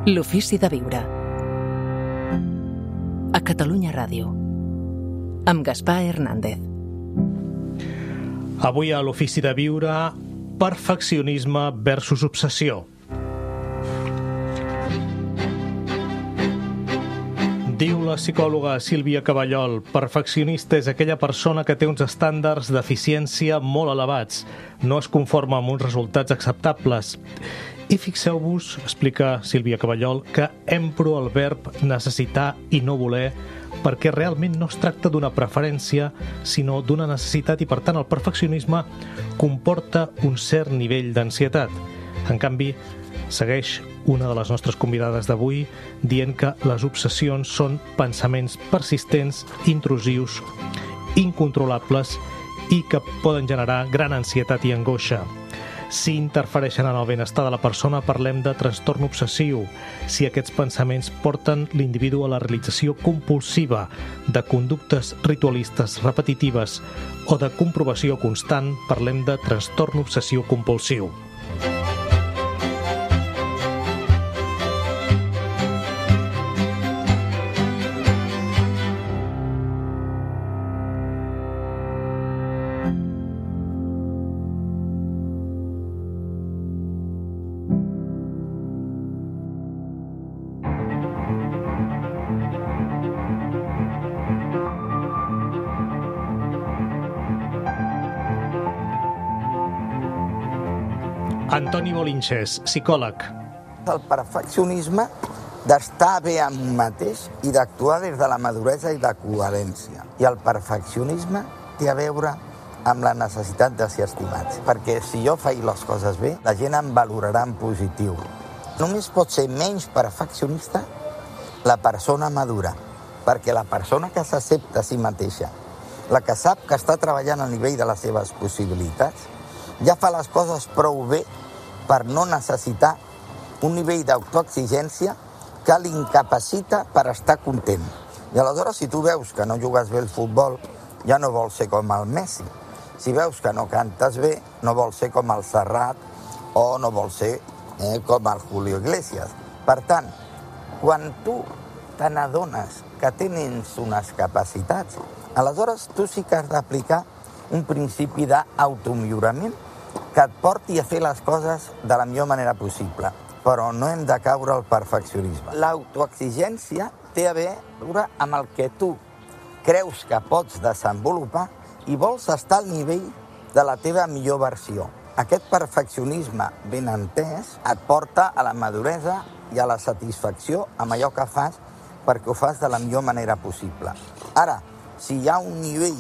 L'ofici de viure. A Catalunya Ràdio. Amb Gaspar Hernández. Avui a l'ofici de viure, perfeccionisme versus obsessió. Diu la psicòloga Sílvia Caballol, perfeccionista és aquella persona que té uns estàndards d'eficiència molt elevats, no es conforma amb uns resultats acceptables. I fixeu-vos, explica Sílvia Caballol, que empro el verb necessitar i no voler perquè realment no es tracta d'una preferència, sinó d'una necessitat i, per tant, el perfeccionisme comporta un cert nivell d'ansietat. En canvi, segueix una de les nostres convidades d'avui dient que les obsessions són pensaments persistents, intrusius, incontrolables i que poden generar gran ansietat i angoixa. Si interfereixen en el benestar de la persona, parlem de trastorn obsessiu. Si aquests pensaments porten l'individu a la realització compulsiva de conductes ritualistes repetitives o de comprovació constant, parlem de trastorn obsessiu compulsiu. Antoni Bolinches, psicòleg. El perfeccionisme d'estar bé amb un mateix i d'actuar des de la maduresa i la coherència. I el perfeccionisme té a veure amb la necessitat de ser estimats. Perquè si jo faig les coses bé, la gent em valorarà en positiu. Només pot ser menys perfeccionista la persona madura, perquè la persona que s'accepta a si mateixa, la que sap que està treballant al nivell de les seves possibilitats, ja fa les coses prou bé per no necessitar un nivell d'autoexigència que l'incapacita per estar content. I aleshores, si tu veus que no jugues bé el futbol, ja no vols ser com el Messi. Si veus que no cantes bé, no vols ser com el Serrat o no vols ser com el Julio Iglesias. Per tant, quan tu te n'adones que tens unes capacitats, aleshores tu sí que has d'aplicar un principi d'automillorament que et porti a fer les coses de la millor manera possible. Però no hem de caure al perfeccionisme. L'autoexigència té a veure amb el que tu creus que pots desenvolupar i vols estar al nivell de la teva millor versió. Aquest perfeccionisme ben entès et porta a la maduresa i a la satisfacció amb allò que fas perquè ho fas de la millor manera possible. Ara, si hi ha un nivell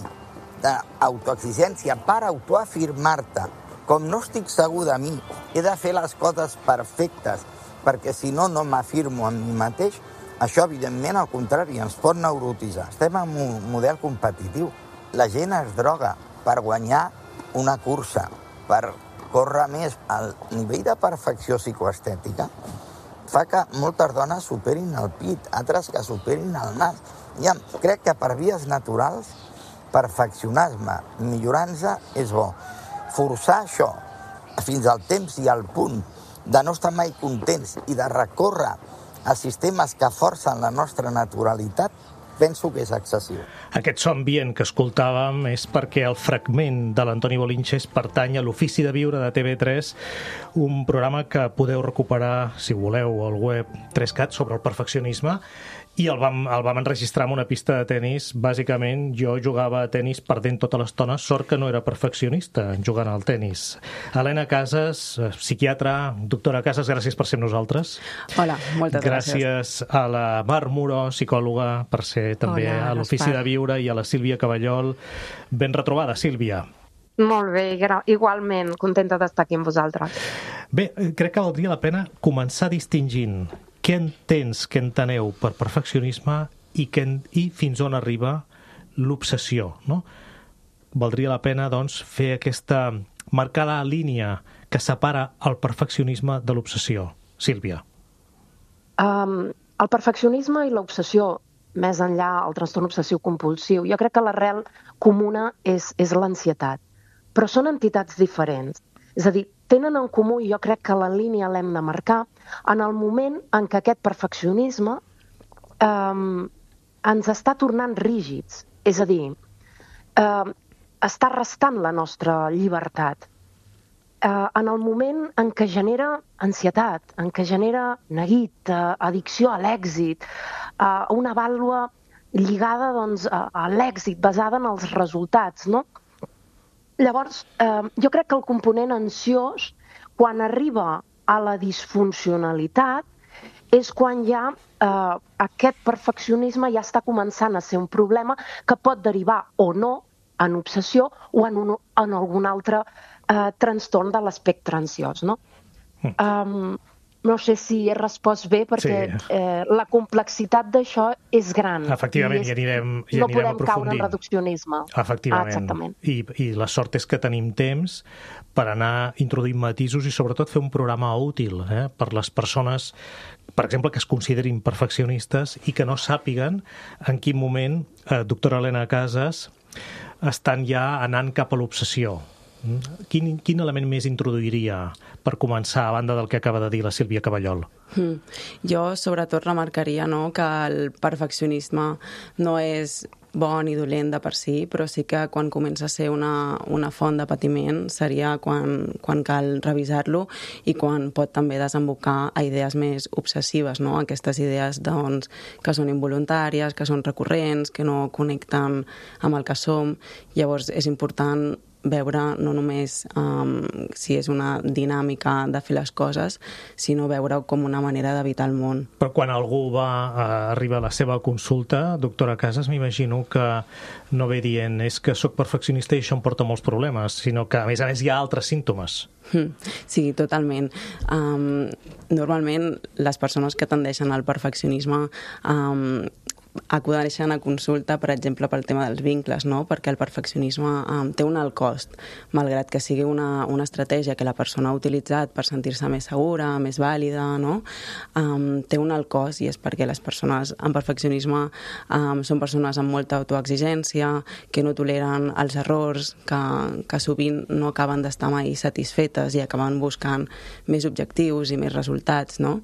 d'autoexigència per autoafirmar-te, com no estic segur de mi, he de fer les coses perfectes, perquè si no, no m'afirmo en mi mateix, això, evidentment, al contrari, ens pot neurotitzar. Estem en un model competitiu. La gent es droga per guanyar una cursa, per córrer més. El nivell de perfecció psicoestètica fa que moltes dones superin el pit, altres que superin el nas. Ja, crec que per vies naturals, perfeccionar-me, millorant-se, és bo. Forçar això fins al temps i al punt de no estar mai contents i de recórrer a sistemes que forcen la nostra naturalitat, penso que és excessiu. Aquest so ambient que escoltàvem és perquè el fragment de l'Antoni Bolinches pertany a l'Ofici de Viure de TV3, un programa que podeu recuperar, si voleu, al web 3CAT sobre el perfeccionisme, i el vam enregistrar en una pista de tennis. Bàsicament, jo jugava a tennis perdent tota l'estona, sort que no era perfeccionista jugant al tennis. Helena Casas, psiquiatra, doctora Casas, gràcies per ser amb nosaltres. Hola, moltes gràcies. Gràcies a la Mar Muro, psicòloga, per ser també a l'Ofici de Viure, i a la Sílvia Caballol. Ben retrobada, Sílvia. Molt bé, igualment, contenta d'estar aquí amb vosaltres. Bé, crec que valdria la pena començar distingint què entens, què enteneu per perfeccionisme i fins on arriba l'obsessió, no? Valdria la pena, doncs, fer marcar la línia que separa el perfeccionisme de l'obsessió. Sílvia. El perfeccionisme i l'obsessió, més enllà el trastorn obsessiu compulsiu, jo crec que l'arrel comuna és l'ansietat, però són entitats diferents. És a dir, tenen en comú, i jo crec que la línia l'hem de marcar, en el moment en què aquest perfeccionisme ens està tornant rígids. És a dir, està restant la nostra llibertat. En el moment en què genera ansietat, en què genera neguit, addicció a l'èxit, una vàlua lligada a l'èxit, basada en els resultats, no? Llavors, jo crec que el component ansiós, quan arriba a la disfuncionalitat, és quan ja aquest perfeccionisme ja està començant a ser un problema que pot derivar o no en obsessió o en algun altre trastorn de l'espectre ansiós, no? No sé si he respost bé, perquè la complexitat d'això és gran. Efectivament, i anirem aprofundint. No podem caure en reduccionisme. Efectivament. Exactament. I la sort és que tenim temps per anar introduint matisos i sobretot fer un programa útil per les persones, per exemple, que es considerin perfeccionistes i que no sàpiguen en quin moment, doctora Helena Casas, estan ja anant cap a l'obsessió. Quin element més introduiria per començar, a banda del que acaba de dir la Sílvia Caballol? Jo, sobretot, remarcaria que el perfeccionisme no és bo ni dolent de per si, però sí que quan comença a ser una font de patiment seria quan cal revisar-lo i quan pot també desembocar a idees més obsessives, no? Aquestes idees que són involuntàries, que són recurrents, que no connecten amb el que som. Llavors és important veure no només si és una dinàmica de fer les coses, sinó veure-ho com una manera d'evitar el món. Però quan algú arriba a la seva consulta, doctora Casas, m'imagino que no ve dient és que sóc perfeccionista i això em porta molts problemes, sinó que, a més hi ha altres símptomes. Sí, totalment. Normalment, les persones que tendeixen al perfeccionisme acudeixen a consulta, per exemple, pel tema dels vincles, no? Perquè el perfeccionisme té un alt cost, malgrat que sigui una estratègia que la persona ha utilitzat per sentir-se més segura, més vàlida, no? Té un alt cost, i és perquè les persones amb perfeccionisme són persones amb molta autoexigència, que no toleren els errors, que sovint no acaben d'estar mai satisfetes i acaben buscant més objectius i més resultats, no?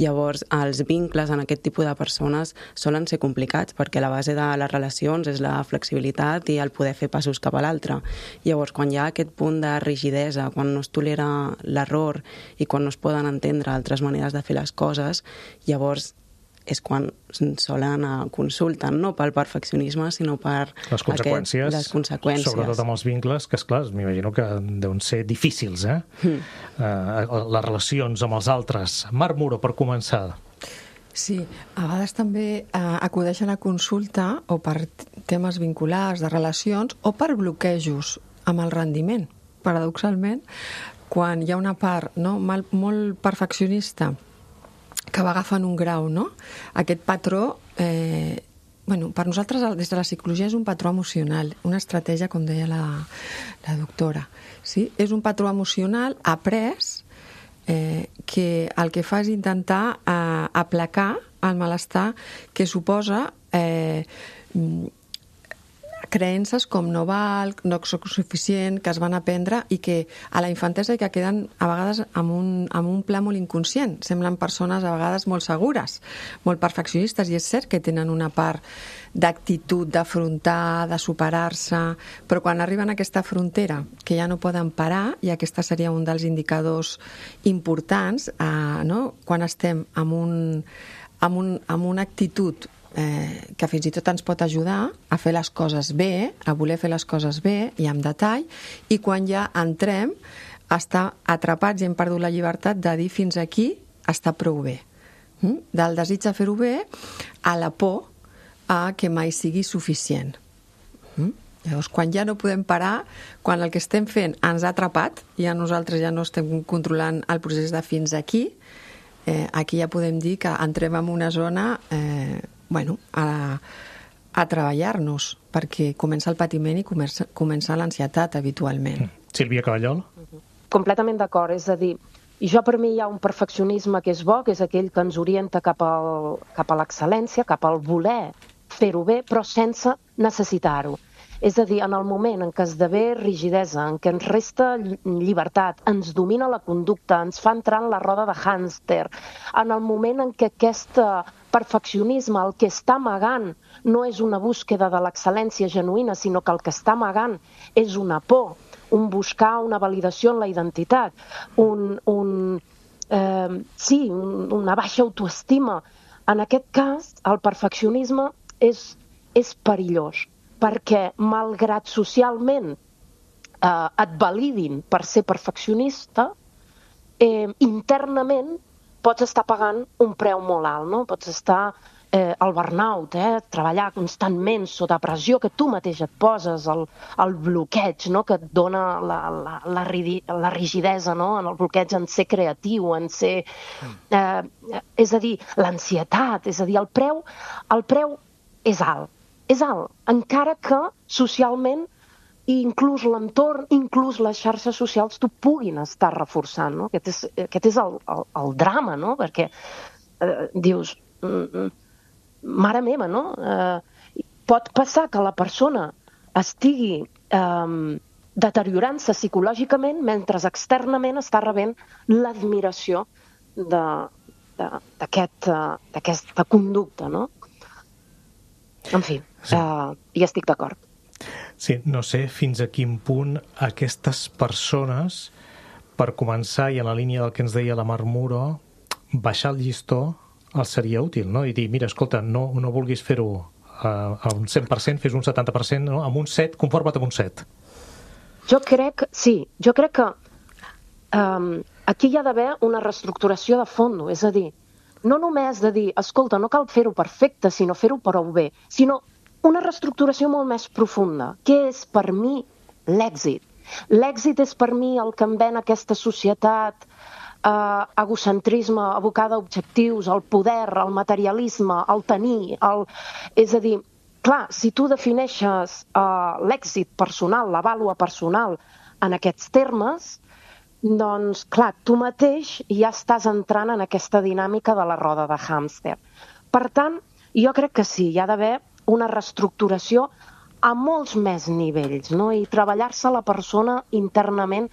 Llavors, els vincles en aquest tipus de persones solen ser complicats, perquè la base de les relacions és la flexibilitat i el poder fer passos cap a l'altre. Llavors, quan hi ha aquest punt de rigidesa, quan no es tolera l'error i quan no es poden entendre altres maneres de fer les coses, llavors és quan solen anar a consulta, no pel perfeccionisme, sinó per les conseqüències. Sobretot amb els vincles, que, esclar, m'imagino que deuen ser difícils, les relacions amb els altres. Mar Muro, per començar. Sí, a vegades també acudeixen a consulta o per temes vinculars de relacions o per bloquejos amb el rendiment. Paradoxalment, quan hi ha una part molt perfeccionista que va agafant un grau, no? Aquest patró, per nosaltres des de la psicologia és un patró emocional, una estratègia, com deia la doctora. Sí? És un patró emocional après que el que fa és intentar aplacar el malestar que suposa creences com no val, no soc suficient, que es van aprendre i que a la infantesa i que queden a vegades amb un pla molt inconscient. Semblen persones a vegades molt segures, molt perfeccionistes, i és cert que tenen una part d'actitud, d'afrontar, de superar-se, però quan arriben a aquesta frontera que ja no poden parar, i aquesta seria un dels indicadors importants, quan estem amb una actitud que fins i tot ens pot ajudar a fer les coses bé, a voler fer les coses bé i amb detall, i quan ja entrem a estar atrapats i hem perdut la llibertat de dir fins aquí està prou bé. Del desig de fer-ho bé a la por a que mai sigui suficient. Llavors, quan ja no podem parar, quan el que estem fent ens ha atrapat, ja nosaltres ja no estem controlant el procés de fins aquí, aquí ja podem dir que entrem en una zona a treballar-nos, perquè comença el patiment i comença l'ansietat habitualment. Sílvia Caballol? Completament d'acord, és a dir, jo per mi hi ha un perfeccionisme que és bo, que és aquell que ens orienta cap a l'excel·lència, cap al voler fer-ho bé, però sense necessitar-ho. És a dir, en el moment en què esdevé rigidesa, en què ens resta llibertat, ens domina la conducta, ens fa entrar en la roda de hàmster, en el moment en què aquest perfeccionisme el que està amagant no és una búsqueda de l'excel·lència genuïna, sinó que el que està amagant és una por, un buscar una validació en la identitat, una baixa autoestima. En aquest cas, el perfeccionisme és perillós, perquè malgrat socialment et validin per ser perfeccionista, internament pots estar pagant un preu molt alt, no? Pots estar al burnout, treballar constantment sota pressió que tu mateix et poses, el bloqueig, no? Que et dona la rigidesa, no? En el bloqueig en ser creatiu, en ser... és a dir, l'ansietat, és a dir, el preu és alt. És alt, encara que socialment inclús l'entorn, inclús les xarxes socials t'ho puguin estar reforçant, no? Aquest és el drama, no? Perquè dius, mare meva, no? Pot passar que la persona estigui deteriorant-se psicològicament mentre externament està rebent l'admiració d'aquesta conducta, no? En fi, hi estic d'acord. Sí, no sé fins a quin punt aquestes persones, per començar, i en la línia del que ens deia la Mar Muro, baixar el llistó els seria útil, no? I dir, mira, escolta, no vulguis fer-ho a un 100%, fes un 70%, no? Amb un 7, conforma't amb un 7. Jo crec que aquí hi ha d'haver una reestructuració de fons, és a dir, no només de dir, escolta, no cal fer-ho perfecte, sinó fer-ho prou bé, sinó una reestructuració molt més profunda. Què és per mi l'èxit? L'èxit és per mi el que em ven aquesta societat, egocentrisme, abocada a objectius, el poder, el materialisme, el tenir, és a dir, clar, si tu defineixes l'èxit personal, la vàlua personal en aquests termes, doncs, clar, tu mateix ja estàs entrant en aquesta dinàmica de la roda de hàmster. Per tant, jo crec que sí, hi ha d'haver una reestructuració a molts més nivells, no? I treballar-se la persona internament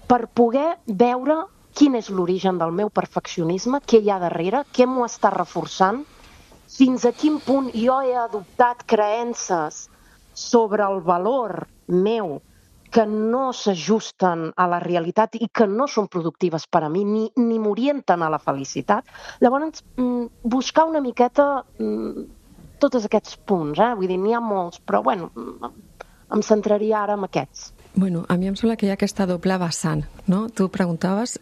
per poder veure quin és l'origen del meu perfeccionisme, què hi ha darrere, què m'ho està reforçant, fins a quin punt jo he adoptat creences sobre el valor meu que no s'ajusten a la realitat i que no són productives per a mi, ni m'orienten a la felicitat. Llavors, buscar una miqueta tots aquests punts, vull dir, n'hi ha molts, però bueno, em centraria ara en aquests. Bueno, a mi em sembla que hi ha aquesta doble vessant, no? Tu preguntaves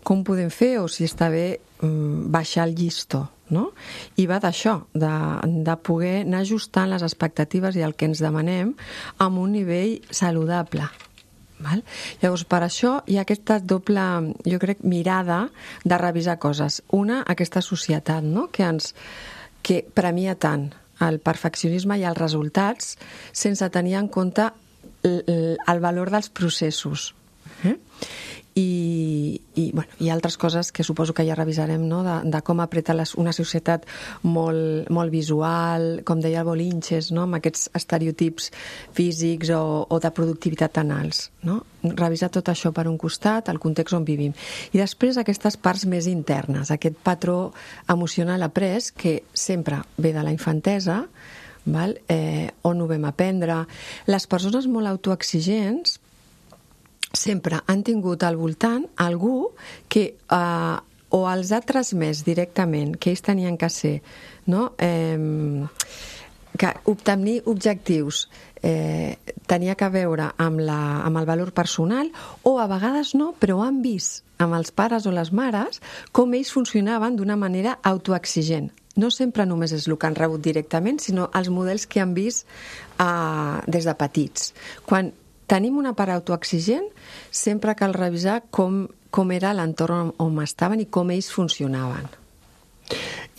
com podem fer o si està bé baixar el llistó, no? I va d'això, de poder anar ajustant les expectatives i el que ens demanem amb un nivell saludable. Val? Llavors, per això hi ha aquesta doble, jo crec, mirada de revisar coses. Una, aquesta societat, no? que premia tant el perfeccionisme i els resultats sense tenir en compte el valor dels processos. I altres coses que suposo que ja revisarem, no? De com apreta una societat molt visual, com deia el Bolinches, no? Amb aquests estereotips físics o de productivitat tan alts, no? Revisar tot això per un costat, el context on vivim. I després aquestes parts més internes, aquest patró emocional après que sempre ve de la infantesa, val? On ho vam aprendre. Les persones molt autoexigents sempre han tingut al voltant algú que o els ha transmès directament que ells tenien que ser, no? Que obtenir objectius tenia que veure amb el valor personal, o a vegades no, però han vist amb els pares o les mares com ells funcionaven d'una manera autoexigent. No sempre només és el que han rebut directament, sinó els models que han vist des de petits. Quan tenim una part autoexigent, sempre cal revisar com era l'entorn on estaven i com ells funcionaven.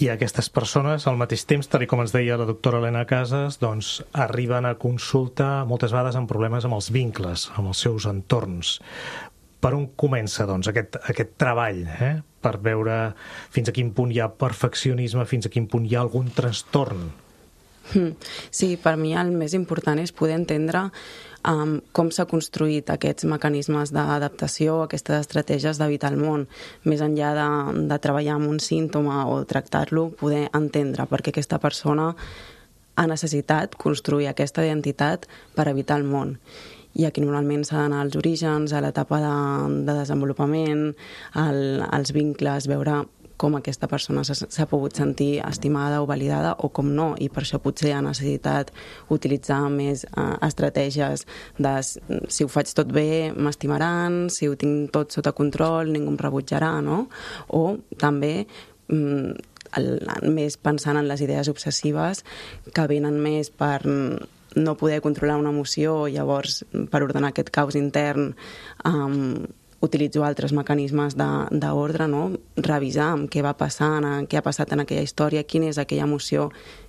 I aquestes persones, al mateix temps, tal com ens deia la doctora Elena Casas, doncs arriben a consulta moltes vegades amb problemes amb els vincles, amb els seus entorns. Per on comença, doncs, aquest treball, per veure fins a quin punt hi ha perfeccionisme, fins a quin punt hi ha algun trastorn? Sí, per mi el més important és poder entendre com s'ha construït aquests mecanismes d'adaptació, aquestes estratègies d'evitar el món, més enllà de treballar amb un símptoma o tractar-lo, poder entendre perquè aquesta persona ha necessitat construir aquesta identitat per evitar el món. I aquí normalment s'ha d'anar als orígens, a l'etapa de desenvolupament, als vincles, veure com aquesta persona s'ha pogut sentir estimada o validada o com no, i per això potser ha necessitat utilitzar més estratègies de si ho faig tot bé m'estimaran, si ho tinc tot sota control ningú em rebutjarà, no? O també més pensant en les idees obsessives que venen més per no poder controlar una emoció, llavors per ordenar aquest caos intern utilitzo altres mecanismes d'ordre, no? Revisar què va passant, què ha passat en aquella història, quina és aquella emoció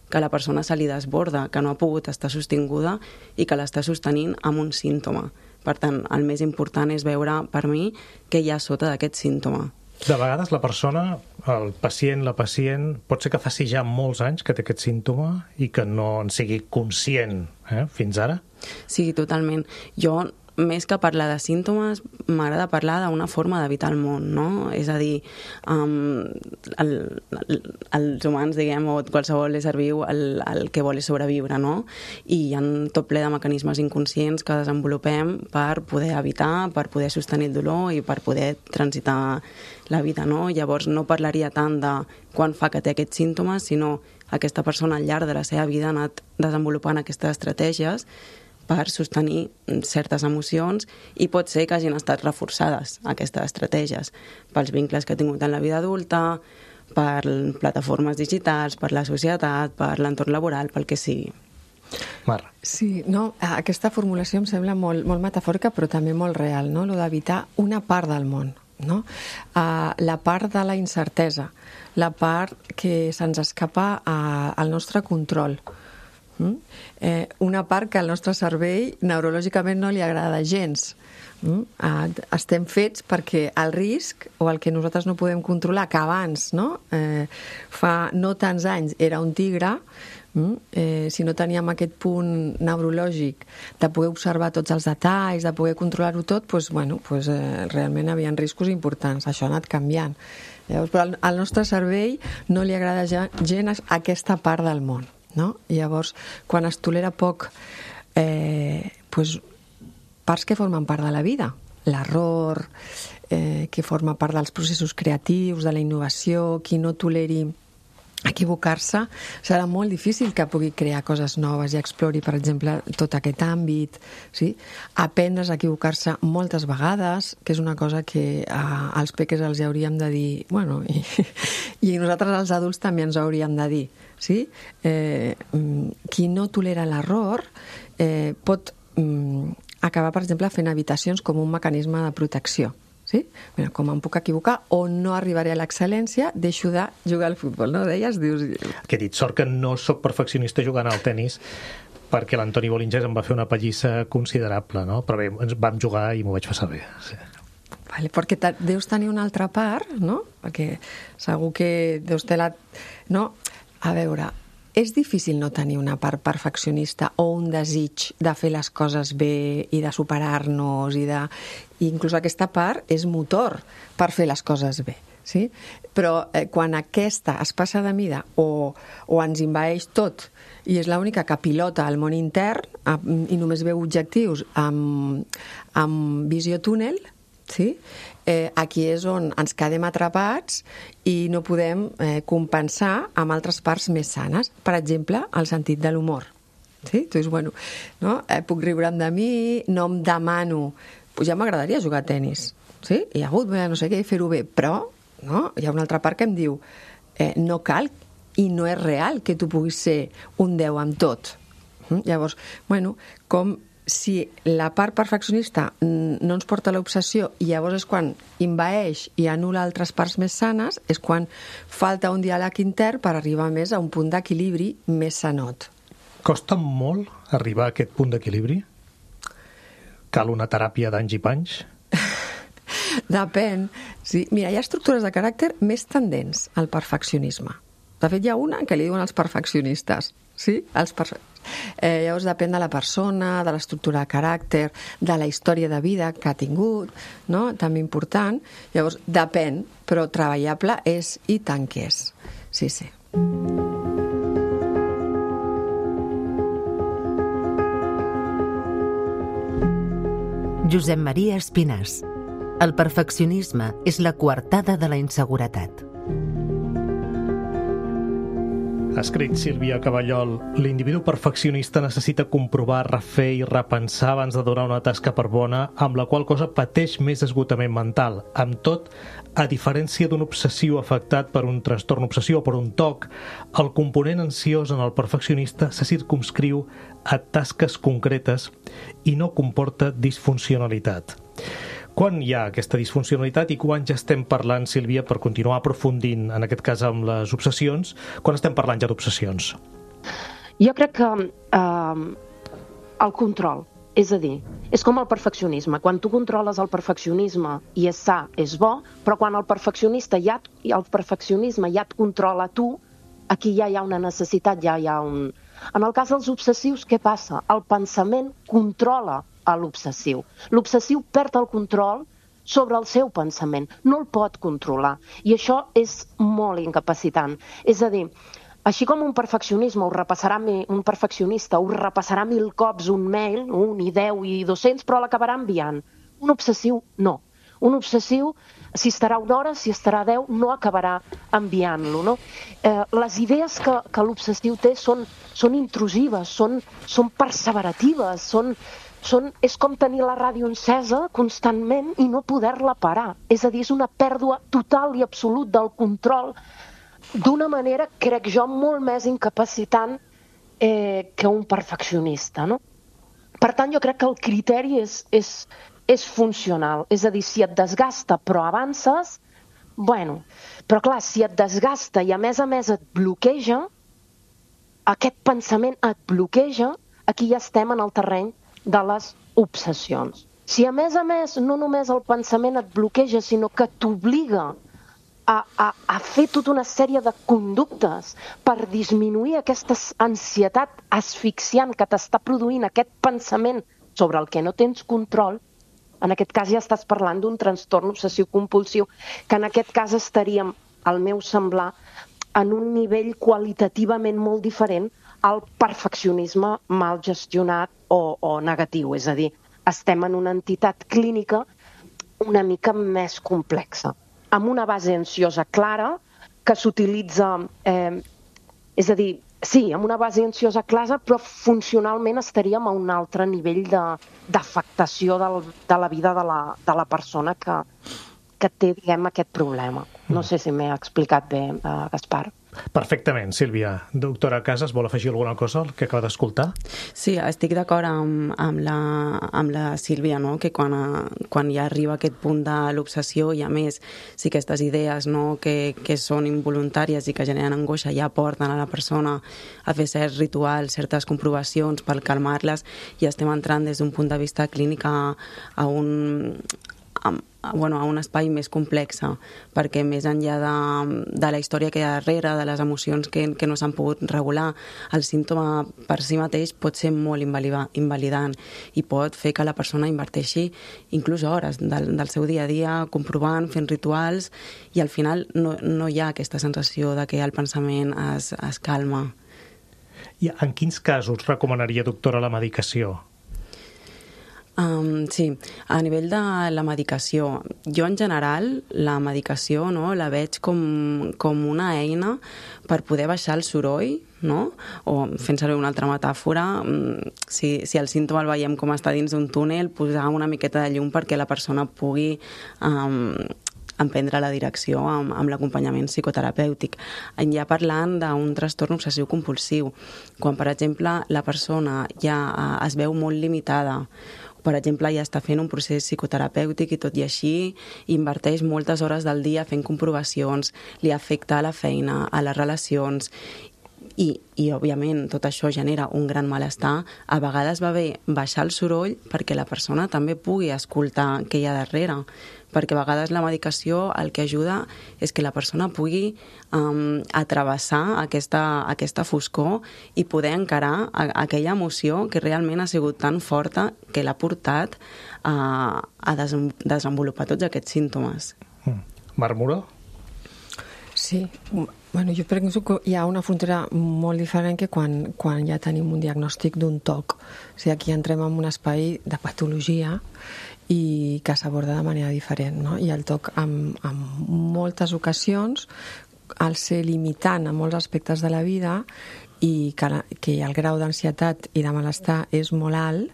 que a la persona se li desborda, que no ha pogut estar sostinguda i que l'està sostenint amb un símptoma. Per tant, el més important és veure, per mi, què hi ha sota d'aquest símptoma. De vegades la persona, el pacient, la pacient, pot ser que faci ja molts anys que té aquest símptoma i que no en sigui conscient fins ara? Sí, totalment. Jo, més que parlar de símptomes, m'agrada parlar d'una forma d'evitar el món, no? És a dir, els humans, diguem, o qualsevol ésser viu, el que vol és sobreviure, no? I hi ha tot ple de mecanismes inconscients que desenvolupem per poder evitar, per poder sostenir el dolor i per poder transitar la vida, no? Llavors no parlaria tant de quan fa que té aquests símptomes, sinó aquesta persona al llarg de la seva vida ha anat desenvolupant aquestes estratègies per sostenir certes emocions i pot ser que hagin estat reforçades aquestes estratègies pels vincles que ha tingut en la vida adulta, per plataformes digitals, per la societat, per l'entorn laboral, pel que sigui. Mar. Sí, no, aquesta formulació em sembla molt metafòrica però també molt real, no? Lo d'evitar una part del món, no? La part de la incertesa, la part que se'ns escapa al nostre control. Una part que al nostre cervell neurològicament no li agrada gens. Estem fets perquè el risc o el que nosaltres no podem controlar, que abans, no? Fa no tants anys era un tigre, si no teníem aquest punt neurològic de poder observar tots els detalls, de poder controlar-ho tot, realment hi havia riscos importants. Això ha anat canviant. Llavors, però al nostre cervell no li agrada gens aquesta part del món. No? I llavors, quan es tolera poc parts que formen part de la vida, l'error, que forma part dels processos creatius, de la innovació, qui no toleri equivocar-se, serà molt difícil que pugui crear coses noves i explori, per exemple, tot aquest àmbit, sí? Aprendre a equivocar-se moltes vegades, que és una cosa que als peques els hauríem de dir, bueno, i nosaltres els adults també ens ho hauríem de dir, sí? Qui no tolera l'error pot acabar, per exemple, fent habitacions com un mecanisme de protecció. Sí? Mira, com em puc equivocar o no arribaré a l'excel·lència, deixo de jugar al futbol, no? Deies, dius... Que he dit, sort que no sóc perfeccionista jugant al tennis perquè l'Antoni Bolingès em va fer una pallissa considerable, no? Però bé, ens vam jugar i m'ho vaig passar bé. Sí. Vale, perquè deus tenir una altra part, no? Perquè segur que deus tenir no? A veure, és difícil no tenir una part perfeccionista o un desig de fer les coses bé i de superar-nos i inclús aquesta part és motor per fer les coses bé, sí? Però quan aquesta es passa de mida o ens envaeix tot i és l'única que pilota el món intern i només veu objectius amb visió túnel, sí? Aquí és on ens quedem atrapats i no podem compensar amb altres parts més sanes. Per exemple, el sentit de l'humor. Sí? Tu dius, bueno, no? Puc riure'm de mi, no em demano... Pues ja m'agradaria jugar a tennis, sí? Hi ha hagut, no sé què, fer-ho bé, però no? Hi ha una altra part que em diu no cal i no és real que tu puguis ser un 10 amb tot. Llavors, bueno, com si la part perfeccionista no ens porta a l'obsessió i llavors és quan envaeix i anul·la altres parts més sanes, és quan falta un diàleg intern per arribar més a un punt d'equilibri més sanot. Costa molt arribar a aquest punt d'equilibri? Cal una teràpia d'anys i panys? Depèn. Sí. Mira, hi ha estructures de caràcter més tendents al perfeccionisme. De fet, hi ha una que li diuen els perfeccionistes. Sí? Llavors depèn de la persona, de l'estructura de caràcter, de la història de vida que ha tingut, no? També important. Llavors, depèn, però treballable és i tant que és. Sí, sí. Josep Maria Espinàs. El perfeccionisme és la coartada de la inseguretat. Ha escrit Sílvia Caballol: l'individu perfeccionista necessita comprovar, refer i repensar abans de donar una tasca per bona, amb la qual cosa pateix més esgotament mental. Amb tot, a diferència d'un obsessiu afectat per un trastorn obsessiu o per un TOC, el component ansiós en el perfeccionista se circumscriu a tasques concretes i no comporta disfuncionalitat. Quan hi ha aquesta disfuncionalitat i quan ja estem parlant, Sílvia, per continuar aprofundint, en aquest cas amb les obsessions, quan estem parlant ja d'obsessions? Jo crec que el control, és a dir, és com el perfeccionisme. Quan tu controles el perfeccionisme i és sa, és bo, però quan el perfeccionisme ja et controla tu, aquí ja hi ha una necessitat, ja hi ha un... En el cas dels obsessius, què passa? El pensament controla a l'obsessiu. L'obsessiu perd el control sobre el seu pensament, no el pot controlar. I això és molt incapacitant. És a dir, així com un perfeccionista ho repassarà 1000 cops un mail, un i 10 i 200, però l'acabarà enviant. Un obsessiu, no. Un obsessiu, si estarà una hora, si estarà 10, no acabarà enviant-lo, no? Les idees que l'obsessiu té són intrusives, són perseveratives, és com tenir la ràdio encesa constantment i no poder-la parar. És a dir, és una pèrdua total i absolut del control d'una manera, crec jo, molt més incapacitant que un perfeccionista, no? Per tant, jo crec que el criteri és funcional. És a dir, si et desgasta però avances, bueno, però clar, si et desgasta i a més et bloqueja, aquest pensament et bloqueja, aquí ja estem en el terreny de les obsessions. Si a més, no només el pensament et bloqueja, sinó que t'obliga a fer tota una sèrie de conductes per disminuir aquesta ansietat asfixiant que t'està produint aquest pensament sobre el que no tens control, en aquest cas ja estàs parlant d'un trastorn obsessiu-compulsiu, que en aquest cas estaríem, al meu semblar, en un nivell qualitativament molt diferent al perfeccionisme mal gestionat o negatiu. És a dir, estem en una entitat clínica una mica més complexa, amb una base ansiosa clara que s'utilitza, és a dir, sí, amb una base ansiosa clara, però funcionalment estaríem a un altre nivell d'afectació de la vida de la persona que té, diguem, aquest problema. No sé si m'he explicat bé, Gaspar. Perfectament, Sílvia. Doctora Casas, vol afegir alguna cosa al que acaba d'escoltar? Sí, estic d'acord amb la Sílvia, no? Que quan ja arriba a aquest punt de l'obsessió i a més si aquestes idees, no? que són involuntàries i que generen angoixa ja porten a la persona a fer certs rituals, certes comprovacions per calmar-les, i estem entrant des d'un punt de vista clínic a un espai més complex, perquè més enllà de la història que hi ha darrere, de les emocions que no s'han pogut regular, el símptoma per si mateix pot ser molt invalidant i pot fer que la persona inverteixi inclús hores del seu dia a dia comprovant, fent rituals, i al final no hi ha aquesta sensació de que el pensament es calma. I en quins casos recomanaria, doctora, la medicació? Sí, a nivell de la medicació, jo en general la medicació la veig com una eina per poder baixar el soroll, no? O fent servir una altra metàfora, si el símptoma el veiem com està dins d'un túnel, posar una miqueta de llum perquè la persona pugui emprendre la direcció amb l'acompanyament psicoterapèutic. Ja parlant d'un trastorn obsessiu-compulsiu, quan, per exemple, la persona ja es veu molt limitada, per exemple, ja està fent un procés psicoterapèutic i tot i així inverteix moltes hores del dia fent comprovacions, li afecta a la feina, a les relacions, I òbviament tot això genera un gran malestar. A vegades va bé baixar el soroll perquè la persona també pugui escoltar què hi ha darrere, perquè a vegades la medicació el que ajuda és que la persona pugui atravessar aquesta foscor i poder encarar aquella emoció que realment ha sigut tan forta que l'ha portat a desenvolupar tots aquests símptomes. Marmura? Sí, bueno, jo penso que hi ha una frontera molt diferent que quan ja tenim un diagnòstic d'un TOC. O sigui, aquí entrem en un espai de patologia i que s'aborda de manera diferent, no? I el TOC en moltes ocasions, al ser limitant en molts aspectes de la vida i que el grau d'ansietat i de malestar és molt alt,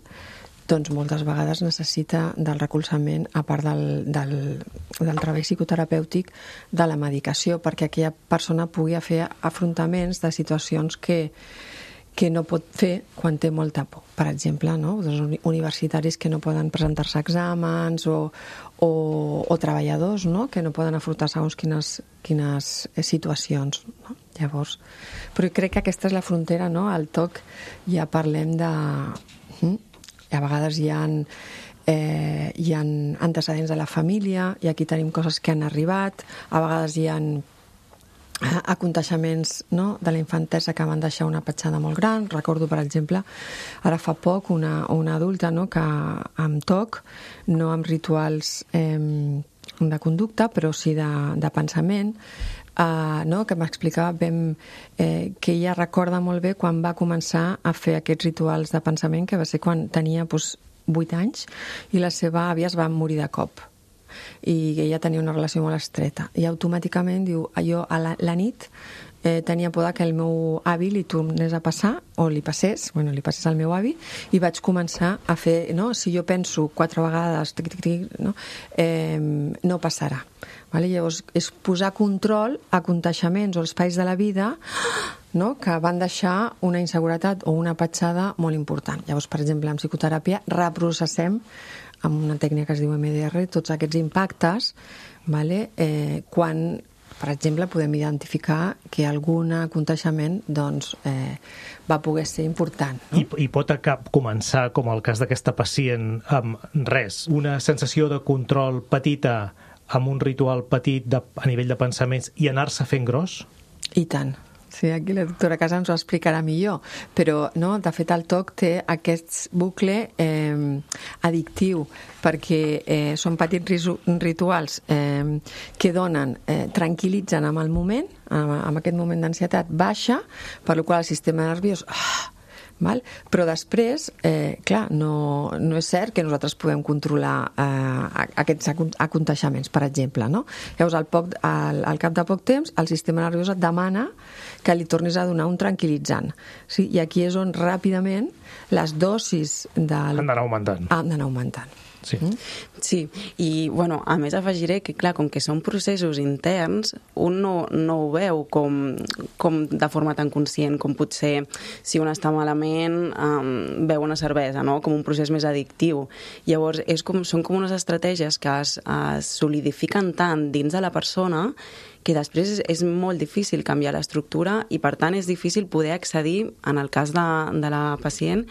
doncs moltes vegades necessita del recolzament, a part del treball psicoterapèutic, de la medicació, perquè aquella persona pugui fer afrontaments de situacions que no pot fer quan té molta por. Per exemple, no? Universitaris que no poden presentar-se a exàmens o treballadors, no? Que no poden afrontar segons quines situacions, no? Llavors, però crec que aquesta és la frontera, no? Al TOC ja parlem de... A vegades hi ha antecedents de la família i aquí tenim coses que han arribat, a vegades hi ha aconteixements, no?, de la infantesa que van deixar una petjada molt gran. Recordo, per exemple, ara fa poc una adulta, no?, que amb TOC, no amb rituals de conducta, però sí de pensament, no?, que m'explicava que ella recorda molt bé quan va començar a fer aquests rituals de pensament, que va ser quan tenia 8 anys i la seva àvia es va morir de cop i ella tenia una relació molt estreta i automàticament diu, jo a la nit tenia por que el meu avi li tornés a passar o li passés al meu avi i vaig començar a fer, no? Si jo penso 4 vegades no passarà. Vale? Llavors és posar control a aconteixements o espais de la vida, no?, que van deixar una inseguretat o una petjada molt important. Llavors, per exemple, en psicoteràpia reprocessem amb una tècnica que es diu MDR tots aquests impactes, vale? Quan, per exemple, podem identificar que algun aconteixement doncs, va poder ser important. No? I pot començar, com el cas d'aquesta pacient, amb res, una sensació de control petita, amb un ritual petit a nivell de pensaments i anar-se fent gros? I tant. Sí, aquí la doctora Casas ens ho explicarà millor, però no, de fet el TOC té aquest bucle addictiu perquè són petits rituals que donen, tranquil·litzen amb el moment, amb aquest moment d'ansietat baixa, per la qual el sistema nerviós... Val? Però després, clar, no és cert que nosaltres podem controlar aquests aconteixements, per exemple, no? Llavors, al cap de poc temps, el sistema nerviós et demana que li tornis a donar un tranquil·litzant. Sí? I aquí és on ràpidament les dosis han d'anar augmentant. Han d'anar augmentant. Sí. Sí, i bueno, a més afegiré que, clar, com que són processos interns, un no ho veu com de forma tan conscient com potser si un està malament veu una cervesa, no?, com un procés més addictiu. Llavors, són com unes estratègies que es solidifiquen tant dins de la persona que després és molt difícil canviar l'estructura i, per tant, és difícil poder accedir, en el cas de la pacient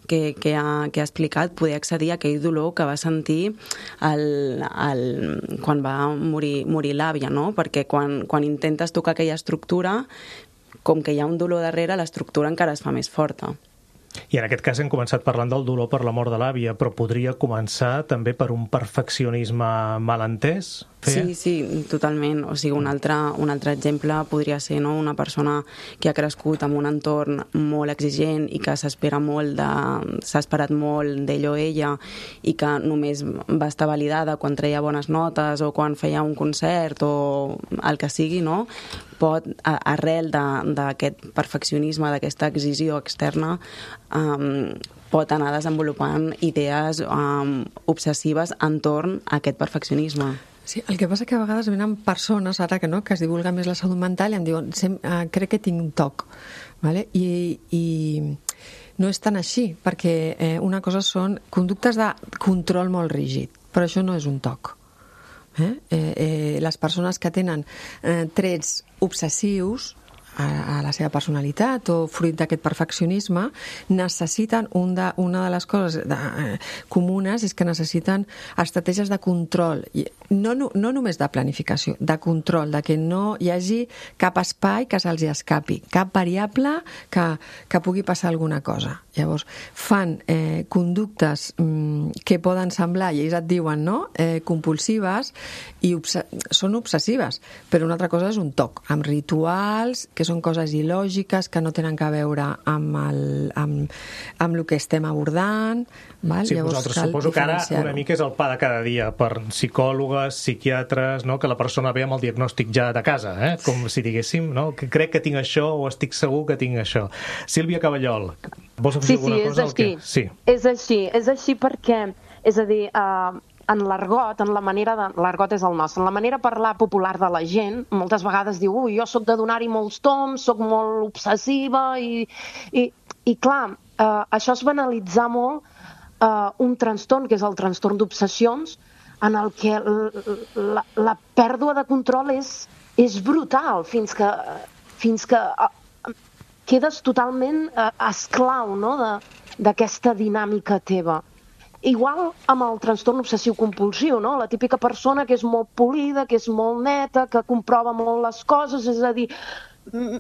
que ha explicat, poder accedir a aquell dolor que va sentir quan va morir l'àvia, no? Perquè quan intentes tocar aquella estructura, com que hi ha un dolor darrere, l'estructura encara es fa més forta. I en aquest cas hem començat parlant del dolor per la mort de l'àvia, però podria començar també per un perfeccionisme malentès? Sí, totalment. O sigui, un altre exemple podria ser, no?, una persona que ha crescut en un entorn molt exigent i que s'ha esperat molt d'ell o ella i que només va estar validada quan treia bones notes o quan feia un concert o el que sigui, no?, pot, arrel d'aquest perfeccionisme, d'aquesta exigió externa, pot anar desenvolupant idees obsessives entorn a aquest perfeccionisme. Sí, el que passa que a vegades venen persones, ara que es divulga més la salut mental, i em diuen, crec que tinc un TOC, ¿vale? I no és tan així, perquè una cosa són conductes de control molt rígid, però això no és un TOC. Les persones que tenen trets obsessius, a la seva personalitat o fruit d'aquest perfeccionisme, necessiten, una de les coses comunes és que necessiten estratègies de control, no només de planificació, de control, de que no hi hagi cap espai que se'ls escapi, cap variable que pugui passar alguna cosa. Llavors, fan conductes que poden semblar, i ells et diuen, no?, compulsives, i són obsessives, però una altra cosa és un toc, amb rituals, que són coses il·lògiques, que no tenen a veure amb el que estem abordant. Val? Sí, llavors, vosaltres suposo que ara una mica és el pa de cada dia per psicòlogues, psiquiatres, no?, que la persona ve amb el diagnòstic ja de casa, com si diguéssim, no?, que crec que tinc això o estic segur que tinc això. Sílvia Caballol, vols afegir alguna cosa? Sí, és així perquè, és a dir, en l'argot, l'argot és el nostre, en la manera de parlar popular de la gent, moltes vegades diu, jo sóc de donar-hi molts toms, sóc molt obsessiva, i clar, això es banalitzar molt un trastorn, que és el trastorn d'obsessions, en el que la pèrdua de control és brutal, fins que quedes totalment esclau, no?, d'aquesta dinàmica teva. Igual amb el trastorn obsessiu-compulsiu, no?, la típica persona que és molt polida, que és molt neta, que comprova molt les coses, és a dir,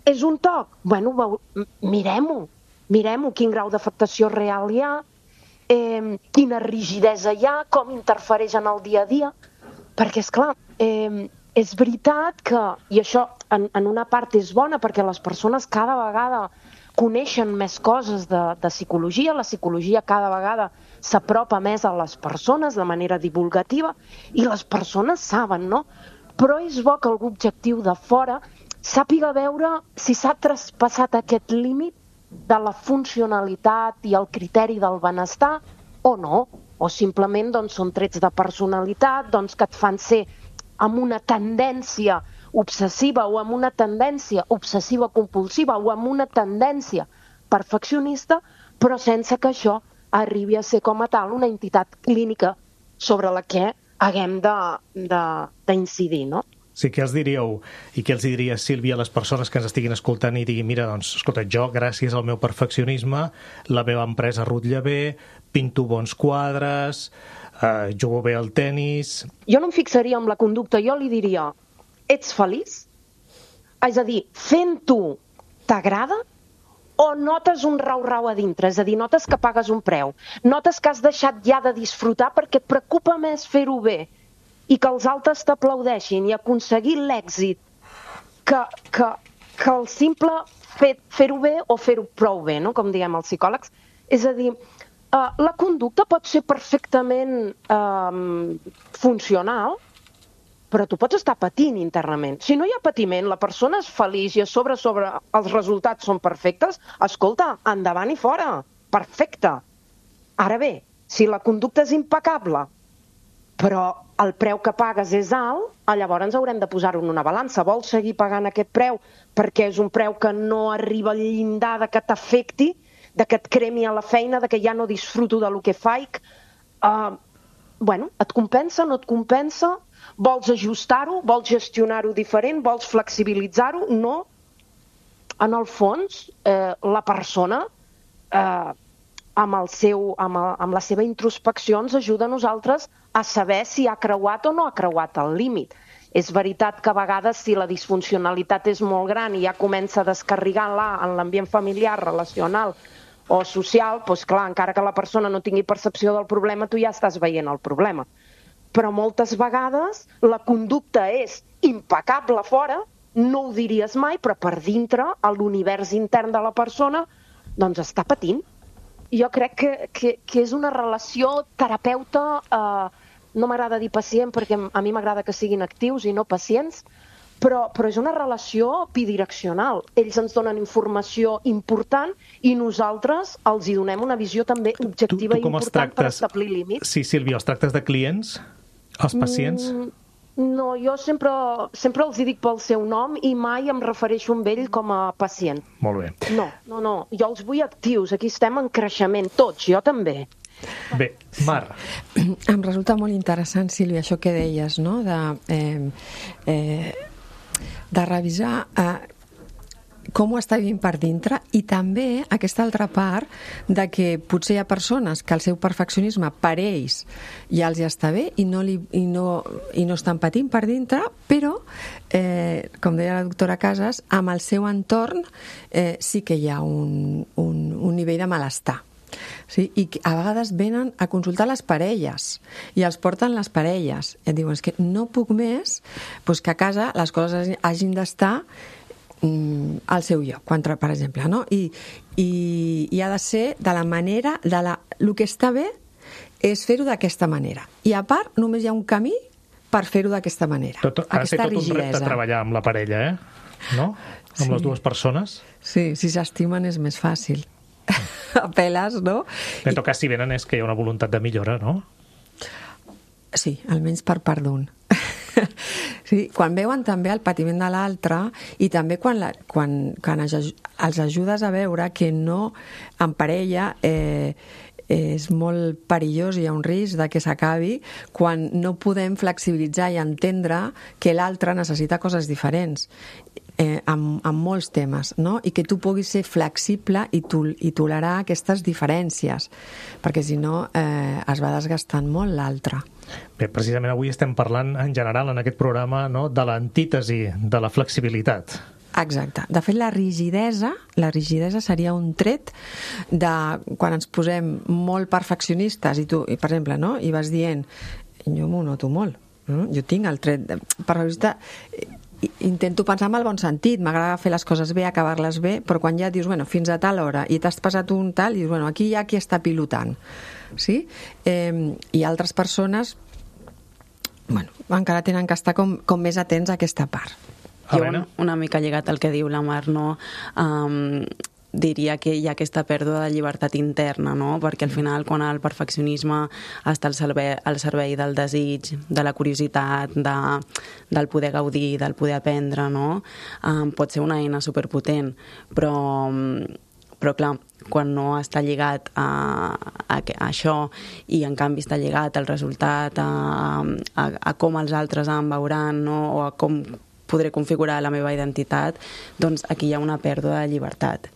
és un toc. Bueno, mirem-ho, quin grau d'afectació real hi ha, quina rigidesa hi ha, com interfereix en el dia a dia, perquè, esclar, és veritat que, i això en una part és bona, perquè les persones cada vegada coneixen més coses de psicologia, la psicologia cada vegada s'apropa més a les persones de manera divulgativa i les persones saben, no? Però és bo que algú objectiu de fora sàpiga veure si s'ha traspassat aquest límit de la funcionalitat i el criteri del benestar o no, o simplement són trets de personalitat que et fan ser amb una tendència obsessiva o amb una tendència obsessiva-compulsiva o amb una tendència perfeccionista, però sense que això arribi a ser com a tal una entitat clínica sobre la que haguem d'incidir, no? Sí, què els diríeu i què els diria Sílvia a les persones que ens estiguin escoltant i diguin, mira, doncs, escolta, jo, gràcies al meu perfeccionisme, la meva empresa rutlla bé, pinto bons quadres, jugo bé al tennis... Jo no em fixaria en la conducta, jo li diria, ets feliç? És a dir, fent-ho t'agrada o notes un rau-rau a dintre? És a dir, notes que pagues un preu, notes que has deixat ja de disfrutar perquè et preocupa més fer-ho bé i que els altres t'aplaudeixin i aconseguir l'èxit que el simple fer-ho bé o fer-ho prou bé, no?, com diem els psicòlegs. És a dir, la conducta pot ser perfectament funcional, però tu pots estar patint internament. Si no hi ha patiment, la persona és feliç i a sobre els resultats són perfectes, escolta, endavant i fora, perfecte. Ara bé, si la conducta és impecable, però el preu que pagues és alt, llavors haurem de posar-ho en una balança. Vols seguir pagant aquest preu perquè és un preu que no arriba al llindar de que t'afecti, de que et cremi a la feina, de que ja no disfruto del que faig? Bueno, et compensa, no et compensa? Vols ajustar-ho? Vols gestionar-ho diferent? Vols flexibilitzar-ho? No. En el fons, la persona, amb la seva introspecció, ens ajuda a nosaltres a saber si ha creuat o no ha creuat el límit. És veritat que a vegades si la disfuncionalitat és molt gran i ja comença a descarregar-la en l'ambient familiar, relacional o social, doncs clar, encara que la persona no tingui percepció del problema, tu ja estàs veient el problema. Però moltes vegades la conducta és impecable fora, no ho diries mai, però per dintre, a l'univers intern de la persona, doncs està patint. Jo crec que és una relació terapeuta, no m'agrada dir pacient perquè a mi m'agrada que siguin actius i no pacients, però és una relació bidireccional. Ells ens donen informació important i nosaltres els hi donem una visió també objectiva i important per establir límits. Sí, Sílvia, els tractes de clients, els pacients? No, jo sempre els dic pel seu nom i mai em refereixo a ell com a pacient. Molt bé. No, jo els vull actius, aquí estem en creixement, tots, jo també. Bé, Mar. Em resulta molt interessant, Sílvia, això que deies, no?, de revisar com ho està vivint per dintre, i també aquesta altra part de que potser hi ha persones que el seu perfeccionisme per ells ja els està bé i no estan patint per dintre, però, com deia la doctora Casas, amb el seu entorn sí que hi ha un nivell de malestar. Sí? I a vegades venen a consultar les parelles i els porten les parelles i et diuen, és que no puc més, doncs que a casa les coses hagin d'estar al seu lloc, per exemple, no? I ha de ser de la manera, el que està bé és fer-ho d'aquesta manera, i a part només hi ha un camí per fer-ho d'aquesta manera. Ha de ser tot un repte treballar amb la parella, no? Amb les dues persones. Sí, si s'estimen és més fàcil. Apeles, no? En tot cas, si venen és que hi ha una voluntat de millora, no? Sí, almenys per part d'un. Sí, quan veuen també el patiment de l'altre, i també quan els ajudes a veure que no, en parella, és molt perillós, hi ha un risc de que s'acabi quan no podem flexibilitzar i entendre que l'altre necessita coses diferents amb molts temes, no? I que tu puguis ser flexible i tolerar aquestes diferències, perquè si no es va desgastant molt l'altre. Bé, precisament avui estem parlant en general en aquest programa, no?, de l'antítesi de la flexibilitat. Exacte. De fet, la rigidesa seria un tret de quan ens posem molt perfeccionistes i tu, per exemple, no?, i vas dient, jo m'ho noto molt, no? Jo tinc el tret de perfeccionista, intento pensar en el bon sentit, m'agrada fer les coses bé, acabar-les bé, però quan ja dius, bueno, fins a tal hora, i t'has passat un tal, i dius, bueno, aquí hi ha qui està pilotant, sí? I altres persones, bueno, encara tenen que estar com més atents a aquesta part. Jo, una mica lligat al que diu la Mar, no? Diria que hi ha aquesta pèrdua de llibertat interna, no? Perquè al final, quan el perfeccionisme està al servei del desig, de la curiositat, del poder gaudir, del poder aprendre, no? Pot ser una eina superpotent, però clar, quan no està lligat a això i en canvi està lligat al resultat, a com els altres em veuran, no? O a com podré configurar la meva identitat, doncs aquí hi ha una pèrdua de llibertat.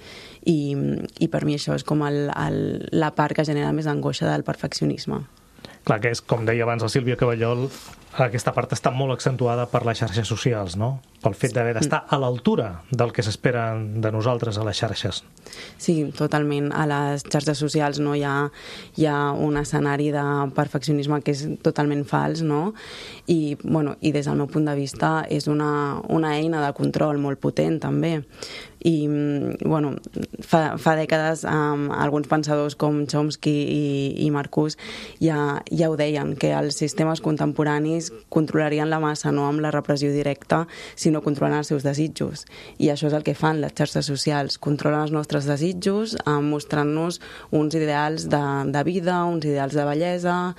I per mi això és com la part que genera més angoixa del perfeccionisme. Clar, que és, com deia abans la Sílvia Caballol, aquesta part està molt accentuada per les xarxes socials, no? Pel fet d'haver d'estar a l'altura del que s'espera de nosaltres a les xarxes. Sí, totalment. A les xarxes socials no hi ha un escenari de perfeccionisme que és totalment fals, no? I des del meu punt de vista és una eina de control molt potent, també. I, fa dècades alguns pensadors com Chomsky i Marcuse ja ho deien, que els sistemes contemporanis controlarien la massa no amb la repressió directa, sinó controlant els seus desitjos. I això és el que fan les xarxes socials, controlen els nostres desitjos mostrant-nos uns ideals de vida, uns ideals de bellesa,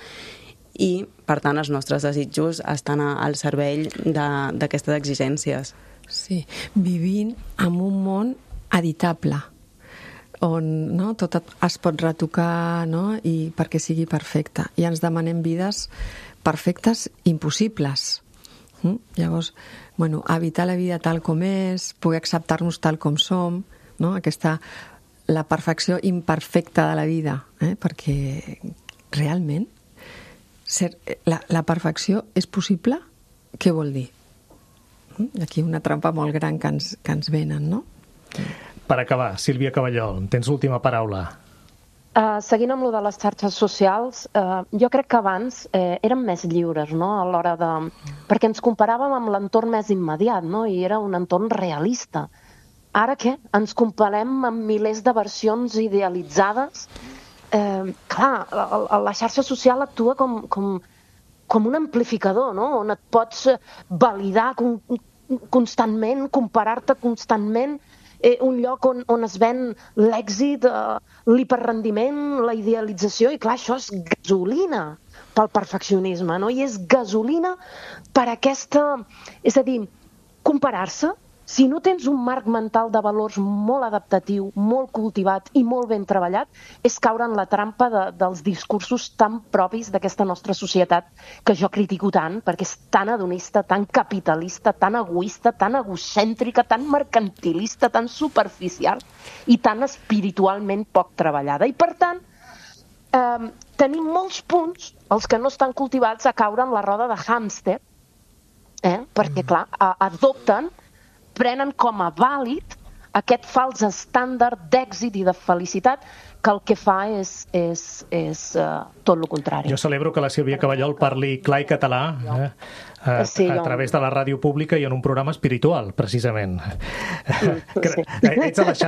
i, per tant, els nostres desitjos estan al servei d'aquestes exigències. Sí, vivint en un món editable, on tot es pot retocar, no? I perquè sigui perfecte. I ens demanem vides perfectes impossibles. Llavors, evitar la vida tal com és, poder acceptar-nos tal com som, no? La perfecció imperfecta de la vida, perquè realment la perfecció és possible? Què vol dir? Aquí una trampa molt gran que ens venen, no? Per acabar, Sílvia Caballol, tens l'última paraula. Seguint amb lo de les xarxes socials, jo crec que abans érem més lliures, no? A l'hora de... Perquè ens comparàvem amb l'entorn més immediat, no? I era un entorn realista. Ara què? Ens comparem amb milers de versions idealitzades. Clar, la xarxa social actua com un amplificador, no? On et pots validar constantment, comparar-te constantment, un lloc on es ven l'èxit, l'hiperrendiment, la idealització, i clar, això és gasolina pel perfeccionisme, no? I és gasolina per aquesta... És a dir, comparar-se si no tens un marc mental de valors molt adaptatiu, molt cultivat i molt ben treballat, és caure en la trampa dels discursos tan propis d'aquesta nostra societat que jo critico tant, perquè és tan hedonista, tan capitalista, tan egoista, tan egocèntrica, tan mercantilista, tan superficial i tan espiritualment poc treballada. I, per tant, tenim molts punts, els que no estan cultivats, a caure en la roda de hàmster, perquè, clar, prenen com a vàlid aquest fals estàndard d'èxit i de felicitat que el que fa és tot el contrari. Jo celebro que la Sílvia Caballol parli clar i català a través de la ràdio pública i en un programa espiritual, precisament. Ets a les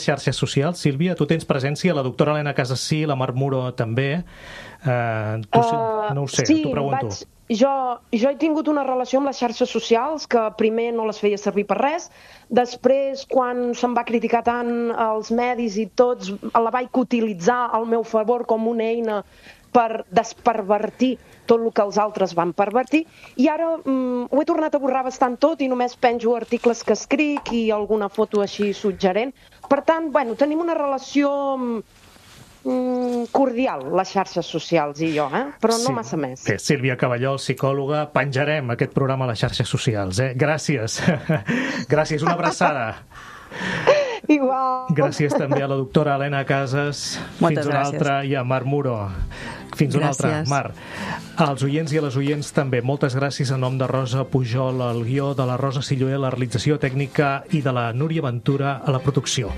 xarxes socials, Sílvia? Tu tens presència? La doctora Helena Casasí, la Mar Muro també? No ho sé, t'ho pregunto. Jo he tingut una relació amb les xarxes socials que primer no les feia servir per res, després quan se'm va criticar tant els medis i tots, la vaig utilitzar al meu favor com una eina per despervertir tot el que els altres van pervertir, i ara ho he tornat a borrar bastant tot i només penjo articles que escric i alguna foto així suggerent. Per tant, tenim una relació cordial, les xarxes socials i jo, però no massa més. Bé, Sílvia Caballol, psicòloga, penjarem aquest programa a les xarxes socials. Gràcies. Gràcies, una abraçada. Igual. Gràcies també a la doctora Helena Casas. Fins una altra, i a Mar Muro. Fins una altra, Mar. Als oients i a les oients també, moltes gràcies en nom de Rosa Pujol, el guió, de la Rosa Silloé, la realització tècnica, i de la Núria Ventura a la producció.